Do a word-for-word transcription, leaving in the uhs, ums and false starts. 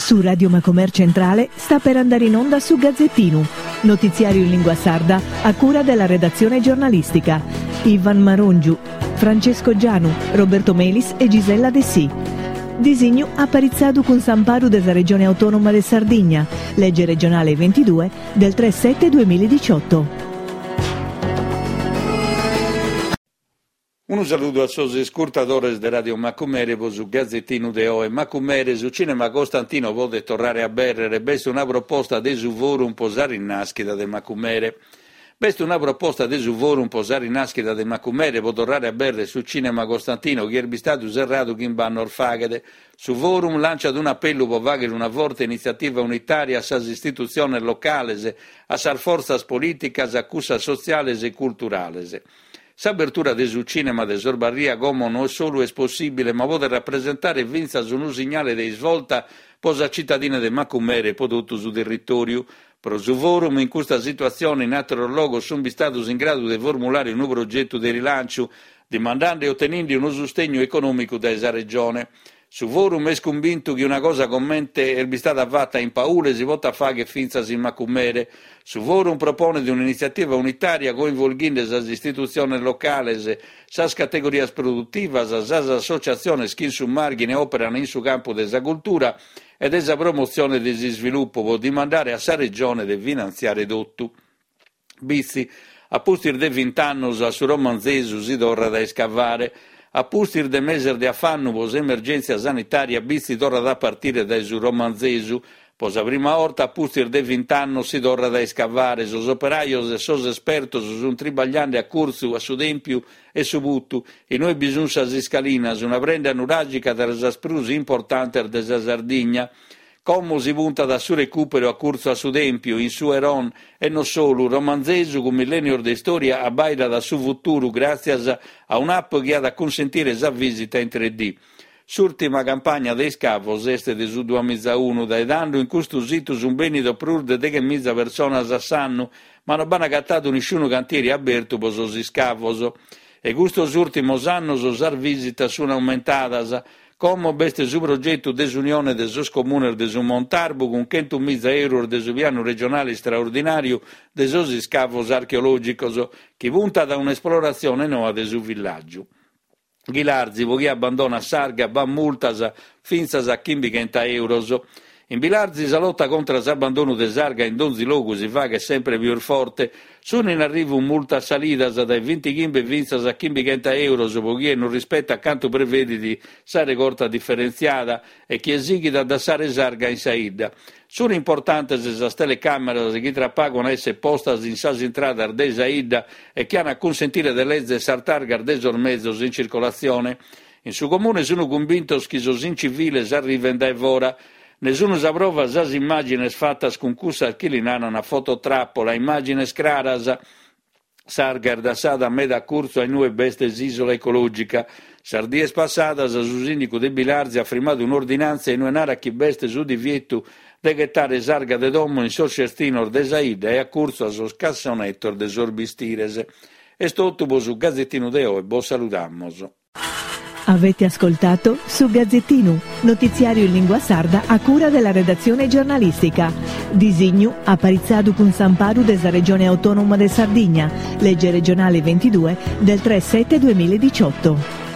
Su Radio Macomer Centrale sta per andare in onda su Gazzettinu, notiziario in lingua sarda a cura della redazione giornalistica. Ivan Marongiu, Francesco Gianu, Roberto Melis e Gisella Dessì. Disignu aparitzadu cun s'amparu de sa Regione Autonoma de Sardigna, legge regionale ventidue del tre sette duemiladiciotto. Unu saludu a sos iscurtadores de Radio Macumere pro su Gazzettinu de oe. Macumere, su Cinema Costantino podet torrare a abèrrere. B'est una proposta de su Forum pro sa rinàschida de Macumere. B'est una proposta de su Forum pro sa rinàschida de Macumere pro torrare a abèrrere su Cinema Costantino chi est bistadu serradu chimb'annos faghet. Su Forum lanciat un'apellu pro fàghere una forte initziativa unitària a sas istitutziones locales, a sas fortzas polìticas, a cussas sotziales e culturales. S'abertura de su cinema de Sorbarria como non solu est possìbile, ma podet rapresentare fintzas unu signale de isvolta pro sa citadina de Macumere e pro totu su territòriu. Pro su Forum, in custa situatzione, in àteros logos sunt bistados in gradu de formulare unu progetu de rilànciu, dimandende e otenende unu sustegnu econòmicu dae sa Regione. Su Forum est cumbintu chi una cosa comente est bistada fata in Paule si potat fàghere fintzas in Macumere. Su Forum proponet un'initziativa unitària coinvolghende sas istitutziones locales, sas categorias produtivas, sas associatziones chi in su Màrghine òperan in su campu de sa cultura e de sa promotzione de s'isvilupu pro dimandare a sa Regione de finantziare totu. Bitzi, a pustis de vint'annos a su Romanzesu si torrat a iscavare. A pustis de meses de afannu pro s'emergèntzia sanitària, Bitzi torrat a partire dae su Romanzesu. Pro sa prima 'orta, a pustis de vint'annos, si torrat a iscavare. Sos operajos e sos espertos sunt tribagliende a curtzu a su Tèmpiu e su Putu, in ue bi sunt sas iscalinas, una prenda nuràgica tra sas prus importantes de sa Sardigna. Como si puntat a su recùperu a curtzu a su Tèmpiu, in su Heron, e non solu. Romanzesu, cun millènnios de istòria, abbaidat a su futuru gràtzias a un'app chi at a cunsentire sa vìsita in tre D. S'ùrtima campagna de iscavos est de su duamiza unu. Dae tando in custu situ sunt bènnidos prus de deghemiza personas a s'annu, ma non b'ant agatadu nisciunu cantieri abertu pro sos iscavos. E custos ùrtimos annos sas vìsitas sunt aumentadas. Como b'est su progetu de s'Unione de sos Comunes de su Montarbu cun chentumiza euros de su pianu regionale istraordinàriu de sos iscavos archeològicos, chi puntat a un'esploratzione noa de su villàgiu. Ghilarzi, pro chie abbandonat s'arga, b'at multas fintzas a chimbighenta euros. In Bilarzi sa lota contra s'abbandonu de s'arga in donzi logu si faghet sempre pius forte. Sunt in arrivu multas salidas dae vintighimbe fintzas a chimbighenta euros pro chie non rispetat cantu prevedit sa regorta diferentziada e chie sighit a dassare s'arga in sa 'idda. Sunt importantes sas telecàmeras chi tra pagu an a èssere postas in sas intradas de sa 'idda e chi an a cunsentire de lèzere sas targas de sos mezos in circolatzione. In su comune sunt cumbintos chi sos inciviles arrivent dae fora. Ne sunt sa prova sas immàgines fatas cun cussas chi li naran fototrappola, immàgines craras. S'arga est dassada meda a curtzu a inue b'est s'isola ecològica. Sas dies passadas su sìndicu de Bilarzi at firmadu un'ordinàntzia inue narat chi b'est su divietu de ghetare s'arga de domo in sos cestinos de sa 'idda e a curtzu a sos cassonetos de sos bistires. Est totu pro su Gazzettinu de oe, bos saludamos. Avete ascoltato su Gazzettinu, notiziario in lingua sarda a cura della redazione giornalistica. Disignu aparitzadu cun s'amparu de sa Regione Autonoma de Sardigna, legge regionale ventidue del tre sette duemiladiciotto.